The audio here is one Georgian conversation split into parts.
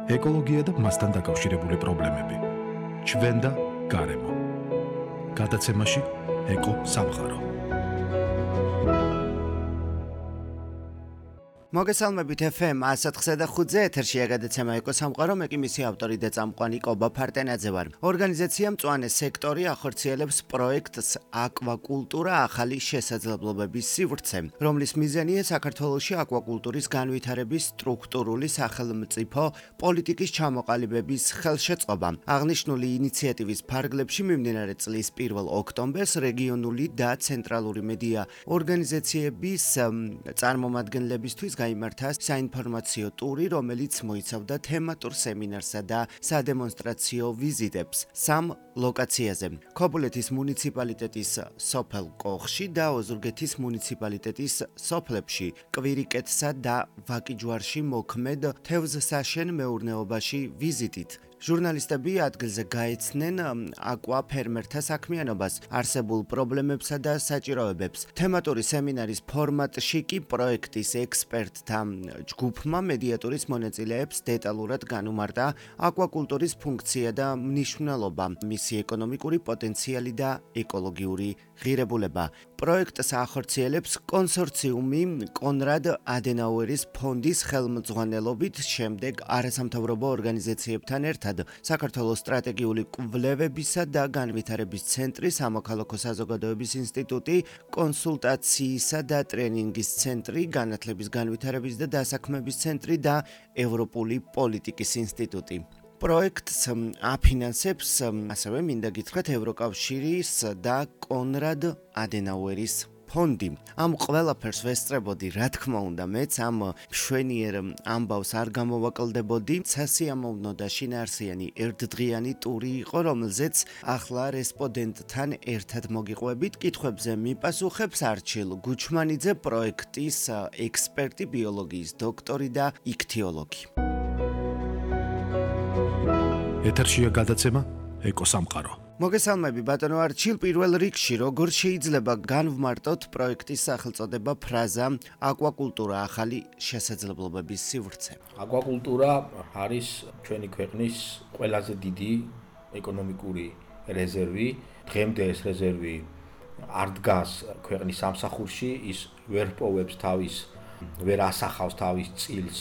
ეკოლოგია და მასთან დაკავშირებული პრობლემები. ჩვენ და გარემო. გადაცემაში ეკო სამყარო. მოგესალმებით FM 104.5 ეთერშია გადაცემა ეკო სამყარო, მე კი მისი ავტორი და წამყვანი კობა ფარტენაძე ვარ. ორგანიზაცია მწვანე სექტორი ახორციელებს პროექტს აკვაკულტურა ახალი შესაძლებლობების სივრცე, რომლის მიზანია საქართველოში აკვაკულტურის განვითარების სტრუქტურული სახელმწიფო პოლიტიკის ჩამოყალიბების ხელშეწყობა. აღნიშნული ინიციატივის ფარგლებში მიმდინარე წლის 1 ოქტომბერს რეგიონული და ცენტრალური მედია ორგანიზაციების წარმომადგენლებისთვის გაიმართა საინფორმაციო ტური, რომელიც მოიცავდა თემატურ სემინარსა და სადემონსტრაციო ვიზიტებს 3 ლოკაციაზე: ქობულეთის მუნიციპალიტეტის სოფელ კოხში და ოზურგეთის მუნიციპალიტეტის სოფლებში, კვირიკეთსა და ვაკიჯვარში მოქმედ თევზსაშენ მეურნეობაში ვიზიტით. ჟურნალისტები ადგილზე გაეცნენ აკვაფერმერთა საქმიანობას, არსებულ პრობლემებსა და საჭიროებებს. თემატური სემინარის ფორმატში კი პროექტის ექსპერტთა ჯგუფმა მედიატურის მონაწილეებს დეტალურად განუმარტა აკვაკულტურის ფუნქცია და მნიშვნელობა, მისი ეკონომიკური პოტენციალი და ეკოლოგიური ღირებულება. პროექტს ახორციელებს კონსორციუმი კონრად ადენაუერის ფონდის ხელმძღვანელობით, შემდეგ არასამთავრობო ორგანიზაციებთან ერთად საქართველოს სტრატეგიული კვლევებისა და განვითარების ცენტრი, სამოქალაქო საზოგადოების ინსტიტუტი, კონსულტაციისა და ტრენინგის ცენტრი, განათლების განვითარების და დასაქმების ცენტრი და ევროპული პოლიტიკის ინსტიტუტი. პროექტს აფინანსებს ასევე მინდა გითხრათ ევროკავშირის და კონრად ადენაუერის ფონდი. ამ ყველაფერს ვესწრებოდი, რა თქმა უნდა, მეც ამ მშვენიერ ამბავს არ გამოვაკლდებოდი. სასიამოვნო და შინაარსიანი ერთდღიანი ტური იყო, რომელზეც ახლა რესპონდენტთან ერთად მოგიყვებით. კითხვებზე მიპასუხებს არჩილ გუჩმანიძე, პროექტის ექსპერტი, ბიოლოგიის დოქტორი და იქთიოლოგი. ეთერშია გადაცემა ეკო სამყარო. მოგესალმები ბატონო არჩილ, პირველ რიგში როგორ შეიძლება განვმარტოთ პროექტის სახელწოდება ფრაზა აკვაკულტურა ახალი შესაძლებლობების სივრცე? აკვაკულტურა არის ჩვენი ქვეყნის ყველაზე დიდი ეკონომიკური რეზერვი. დღემდე ეს რეზერვი არ დგას ქვეყნის სამსახურში, ის ვერ პოვებს თავის, ვერ ასახავს თავის წილს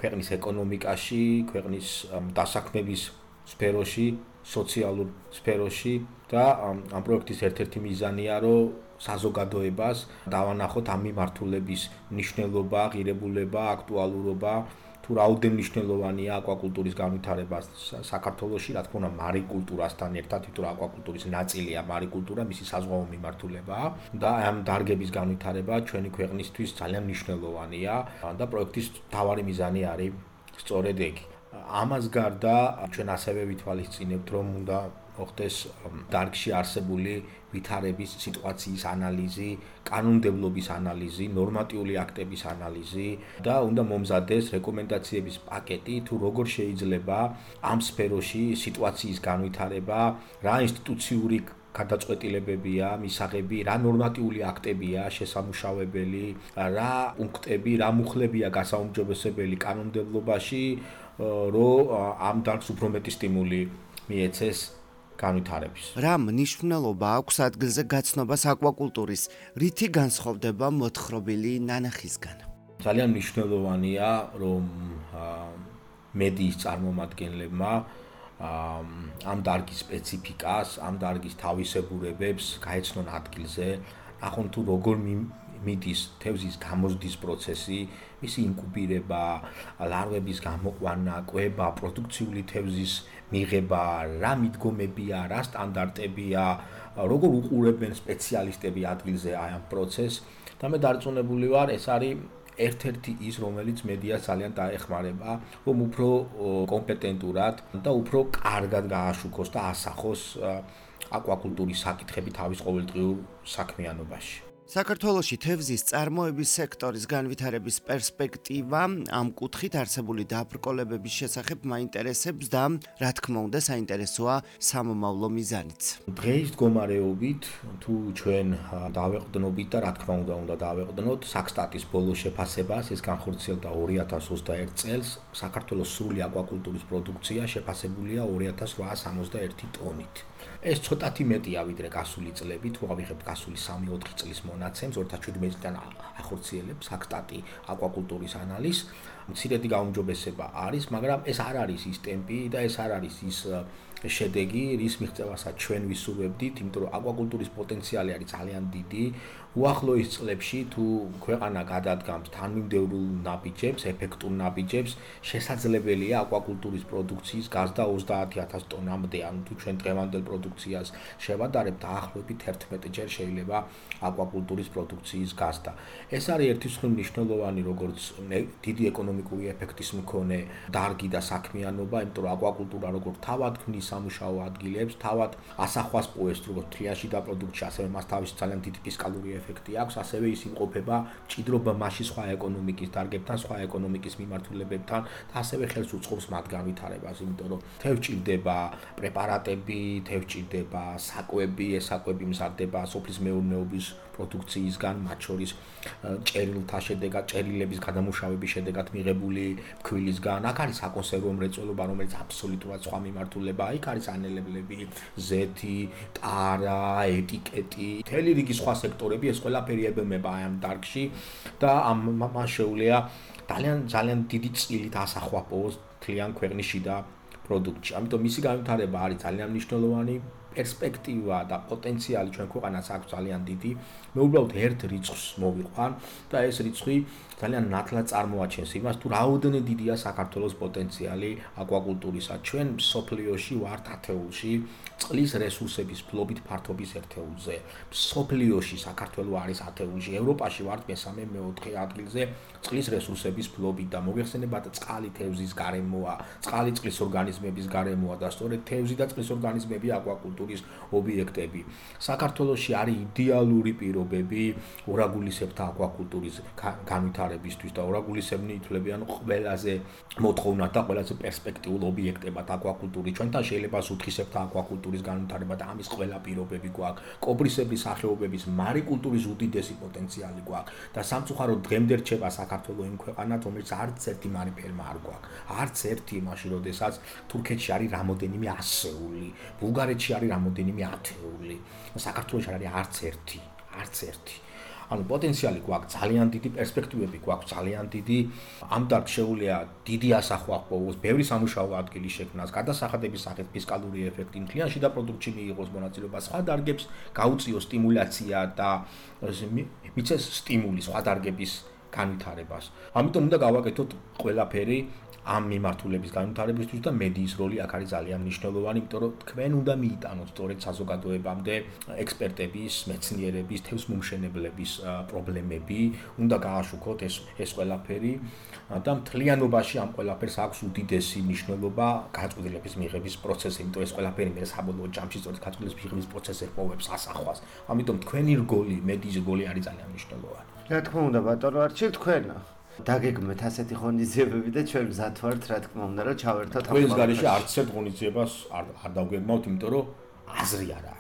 ქვეყნის ეკონომიკაში, ქვეყნის დასაქმების სფეროში, სოციალურ სფეროში და ამ პროექტის ერთ-ერთი მიზანია, რომ საზოგადოებას დავანახოთ ამ მიმართულების მნიშვნელობა, ღირებულება, აქტუალურობა, თუ რაოდენ მნიშვნელოვანია აკვაკულტურის განვითარება საქართველოში, რა თქმა უნდა, მარიკულტურასთან ერთად, თვითონ აკვაკულტურის ნაწილია მარიკულტურა, მისი საზღვაო მიმართულება და ამ დარგების განვითარება ჩვენი ქვეყნისთვის ძალიან მნიშვნელოვანია და პროექტის მთავარი მიზანი არის სწორედ ეგ. ამას გარდა ჩვენ ასევე ვითვალისწინებთ, რომ უნდა მოხდეს დარგში არსებული ვითარების სიტუაციის ანალიზი, კანონმდებლობის ანალიზი, ნორმატიული აქტების ანალიზი და უნდა მომზადდეს რეკომენდაციების პაკეტი, თუ როგორ შეიძლება ამ სფეროში სიტუაციის განვითარება, რა ინსტიტუციური გადაწყვეტილებებია, მისაღები, რა ნორმატიული აქტებია შესამუშავებელი, რა პუნქტები, რა მუხლებია გასაუმჯობესებელი კანონმდებლობაში, რომ ამ დარგს უფრო მეტი სტიმული მიეცეს განვითარების. რა მნიშვნელობა აქვს ადგილზე გაცნობას აკვაკულტურის? რითი განსხვავდება მოთხრობილი ნანახისგან? ძალიან მნიშვნელოვანია, რომ მედიის წარმომადგენლებმა ამ დარგის სპეციფიკას, ამ დარგის თავისებურებებს გაეცნონ ადგილზე, ნახონ თუ როგორ მიდის თევზის გამოზრდის პროცესი, მისი ინკუბირება, ლარვების გამოყვანა, კვება, პროდუქციული თევზის მიღება, რა მიდგომებია, რა სტანდარტებია, როგორ უყურებენ სპეციალისტები ადგილზე აი ამ პროცესს და მე დარწმუნებული ვარ, ეს არის ერთ-ერთი ის, რომელიც მედიას ძალიან დაეხმარება, რომ უფრო კომპეტენტურად და უფრო კარგად გააშუქოს და ასახოს აკვაკულტურის საკითხები თავის ყოველდღიურ საქმიანობაში. საქართველოში თევზის წარმოების სექტორის განვითარების პერსპექტივა ამ კუთხით არსებული დაბრკოლებების შესახებ მაინტერესებს და რა თქმა უნდა საინტერესოა სამომავლო მიზანიც. დღეის მდგომარეობით თუ ჩვენ დავეყრდნობით და რა თქმა უნდა დავეყრდნოთ საქსტატის ბოლო შეფასებას, ეს განხორციელდა 2021 წელს, საქართველოს სრული აკვაკულტურის პროდუქცია შეფასებულია 2861 ტონით. ეს ცოტათი მეტია ვიდრე გასული წლები, თუ ავიღებთ გასული 3-4 წლის მონაცემს, 2017 წლიდან ახორციელებს საქსტატი აკვაკულტურის ანალიზს. მცირედი გაუმჯობესება არის, მაგრამ ეს არ არის ის ტემპი და ეს არ არის ის შედეგი, რის მიღწევასაც ჩვენ ვისურვებდით, იმიტომ რომ აკვაკულტურის პოტენციალი არის ძალიან დიდი. უახლოეს წლებში თუ ქვეყანა გადადგამს თანმიმდევრულ ნაბიჯებს, ეფექტურ ნაბიჯებს, შესაძლებელია აკვაკულტურის პროდუქციის გაზრდა 30,000 ტონამდე, ანუ თუ ჩვენ დღევანდელ პროდუქციას შევადარებთ, დაახლოებით 11 ჯერ შეიძლება აკვაკულტურის პროდუქციის გაზრდა. ეს არის ერთი მსხვილი მნიშვნელოვანი, როგორც დიდი ეკონომიკური ეფექტის მქონე დარგი და საქმიანობა, იმიტომ რომ აკვაკულტურა როგორც თავად ქმნის სამუშაო ადგილებს, თავად ასახვას პოესტ, როგორც თრიაში და პროდუქტში, ასევე მას თავისი ძალიან დიდი ფისკალური ეფექტი აქვს, ასევე ის იმყოფება მჭიდრობა მასში სხვა ეკონომიკის დარგებთან, სხვა ეკონომიკის მიმართულებებთან და ასევე ხელს უწყობს მათ განვითარებას, იმიტომ რომ თევზს ჭირდება პრეპარატები, თევზს ჭირდება საკვები, ეს საკვები მზადდება სოფლის მეურნეობის პროდუქციისგან, მათ შორის ჭერილთა შედეგად, ჭერილების გადამუშავების შედეგად მიღებული ფქვილისგან. აქ არის საკონსერვო მრეწველობა, რომელიც აბსოლუტურად სხვა მიმართულებაა. იქ არის ანელებლები, ზეთი, ტარა, ეტიკეტი, მთელი რიგი სხვა სექტორები, ეს ყველაფერი ებმება ამ დარგში და ამას შეუძლია ძალიან დიდი წილით ასახვაპოს მთლიან ქვეყნის შიდა პროდუქტში. ამიტომ მისი განვითარება არის ძალიან მნიშვნელოვანი. პერსპექტივა და პოტენციალი ჩვენ ქვეყანას აქვს ძალიან დიდი. მე უბრალოდ ერთ რიცხვს მოვიყვან და ეს რიცხვი ძალიან ნათლად წარმოაჩენს იმას, თუ რაოდენად დიდია საქართველოს პოტენციალი აკვაკულტურისა. ჩვენ სოფლიოში ვართ ათეულში წყლის რესურსების ფლობით ფართობის ერთეულზე. სოფლიოში საქართველო არის ათეულში, ევროპაში ვართ მესამე-მეოთხე ადგილზე წყლის რესურსების ფლობით და მოგეხსენებათ, წყალი თევზის გარემოა, წყალი წყლის ორგანიზმების გარემოა და სწორედ თევზი და წყლის ორგანიზმები აკვაკულტურის ობიექტები. საქართველოში არის იდეალური პირობები ორაგულისებრთა აკვაკულტურის განვითარებისთვის და ორაგულისებრნი ითვლებიან ყველაზე მოთხოვნად და ყველაზე პერსპექტიულ ობიექტებად აკვაკულტურის. ჩვენთან შეიძლება სუთხისებრთა აკვაკულტურის განვითარება და ამის ყველა პირობები გვაქვს. კობრისებრი სახეობების მარიკულტურის უდიდესი პოტენციალი გვაქვს და სამწუხაროდ დღემდე რჩება საქართველო იმ ქვეყანად, რომელიც არც ერთი მარიფერმა არ გვაქვს. არც ერთი მაშინ, როდესაც თურქეთში არის რამოდენიმე ასეული, ბულგარეთში არის რამოდენიმე ათეული. საქართველოში არ არის არც ერთი. ანუ პოტენციალი გვაქვს, ძალიან დიდი პერსპექტივები გვაქვს, ძალიან დიდი. ამ დარგს შეუძლია დიდი ასახვა ჰპოვოს, ბევრი სამუშაო ადგილი შექმნას, გადასახადების სახით ფისკალური ეფექტი, მთლიან შიდა პროდუქტში მიიღოს მონაწილეობა, სხვა დარგებს გაუწიოს სტიმულაცია და მიცეს სტიმული სხვა დარგების განვითარებას. ამიტომ უნდა გავაკეთოთ ყველაფერი ამ მიმართულების განვითარებისთვის და მედიის როლი აქ არის ძალიან მნიშვნელოვანი, იმიტომ რომ თქვენ უნდა მიიტანოთ სწორედ საზოგადოებამდე ექსპერტების, მეცნიერების, თევზმომშენებლების პრობლემები, უნდა გააშუქოთ ეს ყველაფერი და მთლიანობაში ამ ყველაფერს აქვს უდიდესი მნიშვნელობა გაწყვეტილების მიღების პროცესი, იმიტომ ეს ყველაფერი მე საბოლოო ჯამში სწორედ გაწყვეტილების მიღების პროცესს ეპოვებს ასახვას. ამიტომ თქვენი რგოლი, მედიის რგოლი არის ძალიან მნიშვნელოვანი. რა თქმა უნდა, ბატონო არჩილ, თქვენ დაგეგმეთ ასეთი ღონისძიებები და ჩვენ მზად ვართ, რა თქმა უნდა, რომ ჩავერთოთ ამ ყველის გარეშე არც ერთ ღონისძიებას არ დავგეგმავთ, იმიტომ რომ აზრი არა.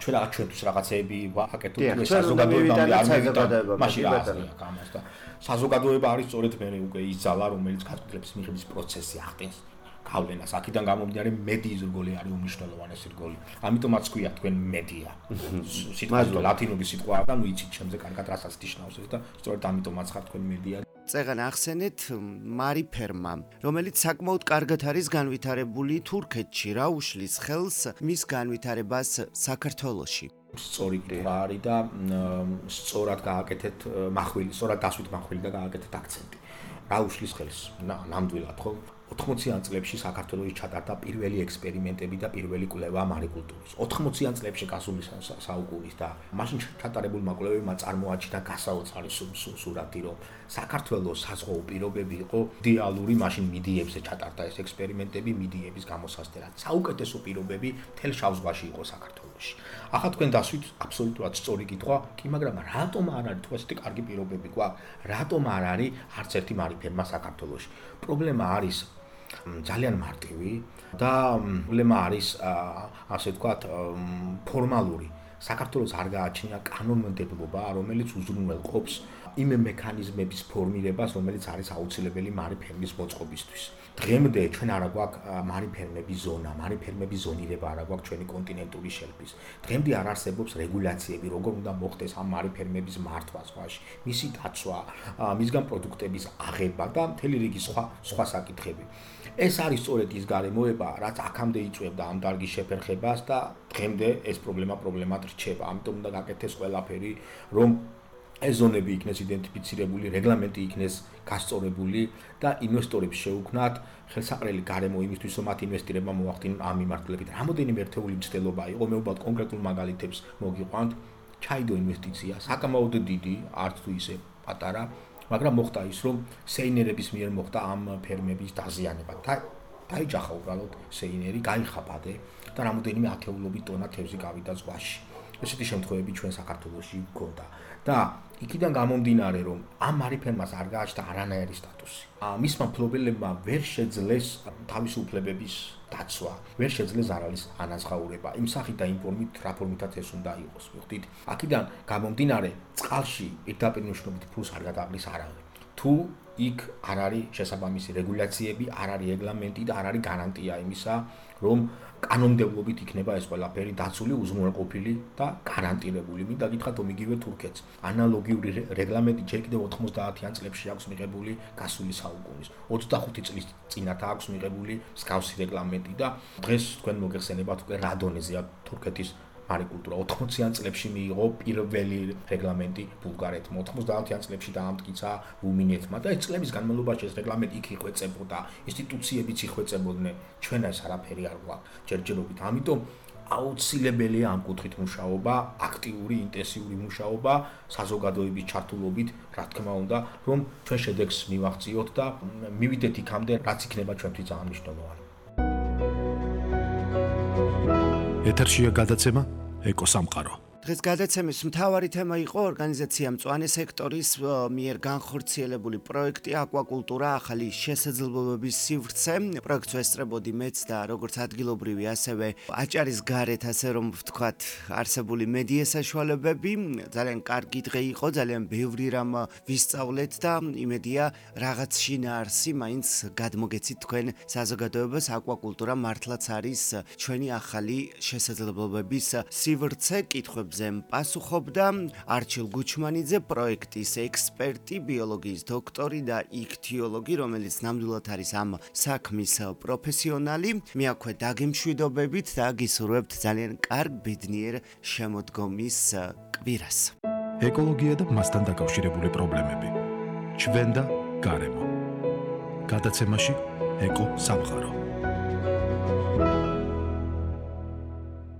ჩვენ ჩვენთვის რაღაცეები ვაკეთოთ, ეს საზოგადოებამ არ მივიტანოთ, მაშინ რა აზრი აქვს ამას და საზოგადოება არის სწორედ მე უკვე ის ძალა, რომელიც გაწყვეტილების მიღების პროცესში ახდენს გავლენას. აქედან გამომდინარე მედიის რგოლი არის უმნიშვნელოვანესი რგოლი. ამიტომაც ქვია თქვენ მედია. სიტყვა ლათინური სიტყვაა და ნუ იცით შემზე კარგად რასაც ნიშნავს და სწორედ ამიტომაც ხარ თქვენ მედია. წეგან ახსენეთ მარიფერმა, რომელიც საკმაოდ კარგად არის განვითარებული თურქეთში, რა უშლის ხელს მის განვითარებას საქართველოში? სწორი კითხვა არის და სწორად გააკეთეთ מחვილი, სწორად დასვით מחვილი და გააკეთეთ აქცენტი. რა უშლის ხელს? ნამდვილად ხო? 80-იან წლებში საქართველოში ჩატარდა პირველი ექსპერიმენტები და პირველი კვლევა მარიკულტურის. 80-იან წლებში გასული საუკუნის და მაშინ ჩატარებულმა კვლევებმა წარმოაჩინა გასაოცარი სურათი, რომ საქართველოს საზღვაო პირობები იყო იდეალური, მაშინ მიდიებზე ჩატარდა ეს ექსპერიმენტები, მიდიების გამოსასწრად. საუკეთესო პირობები მთელ შავ ზღვაში იყო საქართველოში. ახლა თქვენ დასვით აბსოლუტურად სწორი კითხვა, კი, მაგრამ რატომ არ არის თუ ესეთი კარგი პირობები გვაქვს? რატომ არ არის არც ერთი მარიფერმა საქართველოში? პრობლემა არის ძალიან მარტივი და პრობლემა არის ასე ვთქვათ ფორმალური. საქართველოს არ გააჩნია კანონმდებლობა, რომელიც უზრუნველყოფს იმ მექანიზმების ფორმირებას, რომელიც არის აუცილებელი მარიფერმის მოწყობისთვის. დღემდე ჩვენ არ გვაქვს მარიფერმების ზონა, მარიფერმების ზონირება არ გვაქვს ჩვენი კონტინენტური შელფის. დღემდე არ არსებობს რეგულაციები, როგორ უნდა მოხდეს ამ მარიფერმების მართვა ზღვაში, მისი დაცვა, მისგან პროდუქტების აღება და მთელი რიგი სხვა საკითხები. ეს არის სწორედ ის გარემოება, რაც აქამდე იწვევდა ამ დარგის შეფერხებას და დღემდე ეს პრობლემად რჩება. ამიტომ უნდა გაკეთდეს ყველაფერი, რომ ეს ზონები იქნეს იდენტიფიცირებული, რეგლამენტი იქნეს გასწორებული და ინვესტორებს შეუქმნათ ხელსაყრელი გარემო იმისთვის, რომ მათ ინვესტირება მოახდინონ ამ მიმართულებით. რამოდენიმე ერთეული მცდელობა იყო, მე ვუბრალოდ კონკრეტულ მაგალითებს მოგიყვანთ. ჩაიდო ინვესტიცია, საკმაოდ დიდი, არც თუ ისე პატარა, მაგრამ მოხდა ის, რომ სეინერების მიერ მოხდა ამ ფერმების დაზიანება. დაიჯახა უბრალოდ სეინერი, გაიხაბადე და რამოდენიმე ათეულობით ტონა თევზი გავიდა ზღვაში. ესეთი შემთხვევები ჩვენ საქართველოში გვქონდა და იქიდან გამომდინარე, რომ ამ მარიფერმას არ გააჩნდა არანაირი სტატუსი. მისმა მფლობელებმა ვერ შეძლეს თავისუფლებების დაცვა, ვერ შეძლეს ზარალის ანაზღაურება. იმ სახით და იმ ფორმით, რა ფორმითაც ეს უნდა იყოს. მიხვდით? აქედან გამომდინარე, წყალში პირდაპირ მნიშვნელობით ფულს არ გადაყრის არავინ. თუ იქ არ არის შესაბამისი რეგულაციები, არ არის რეგლამენტი და არ არის გარანტია იმისა, რომ კანონმდებლობით იქნება ეს ყველაფერი დაცული, უზრუნველყოფილი და გარანტირებული. მინდა გითხრათ, რომ იგივე თურქეთს ანალოგიური რეგლამენტი ჯერ კიდევ 90-იან წლებში აქვს მიღებული გასული საუკუნის. 25 წლის წინათ აქვს მიღებული მსგავსი რეგლამენტი და დღეს თქვენ მოგეხსენებათ უკვე რა დონეზეა თურქეთის მარიკულტურა. 80-იან წლებში მიიღო პირველი რეგლამენტი ბულგარეთმა, 90-იან წლებში დაამტკიცა რუმინეთმა და ეს წლების განმავლობაში ეს რეგლამენტი იქ იხვეწებოდა, ინსტიტუციებიც იხვეწებოდნენ. ჩვენ ეს არაფერი არ გვაქვს ჯერჯერობით. ამიტომ აუცილებელია ამ კუთხით მუშაობა, აქტიური, ინტენსიური მუშაობა, საზოგადოების ჩართულობით, რა თქმა უნდა, რომ ჩვენ შედეგს მივაღწიოთ და მივიდეთ იქამდე, რაც იქნება ჩვენთვის ძალიან მნიშვნელოვანი. ეთერშია გადაცემა ეკოსამყარო. დღეს გადაცემის მთავარი თემა იყო ორგანიზაცია მწვანე სექტორის მიერ განხორციელებული პროექტი აკვაკულტურა ახალი შესაძლებლობების სივრცე. პროექტს ვესწრებოდი მეც და როგორც ადგილობრივი, ასევე აჭარის გარეთ, ასე რომ ვთქვათ, არსებული მედია საშუალებები. ძალიან კარგი დღე იყო, ძალიან ბევრი რამ ვისწავლეთ და იმედია რაღაც შინაარსი მაინც გადმოგეცით თქვენ საზოგადოებას. აკვაკულტურა მართლაც არის ჩვენი ახალი შესაძლებლობების სივრცე. კითხვებს პასუხობდა არჩილ გუჩმანიძე, პროექტის ექსპერტი, ბიოლოგიის დოქტორი და იქთიოლოგი, რომელიც ნამდვილად არის ამ საქმის პროფესიონალი. მე აქვე დაგემშვიდობებით და გისურვებთ ძალიან კარგ ბედნიერ შემოდგომის კვირას. ეკოლოგია და მასთან დაკავშირებული პრობლემები. ჩვენ და გარემო. გადაცემაში ეკო სამყარო.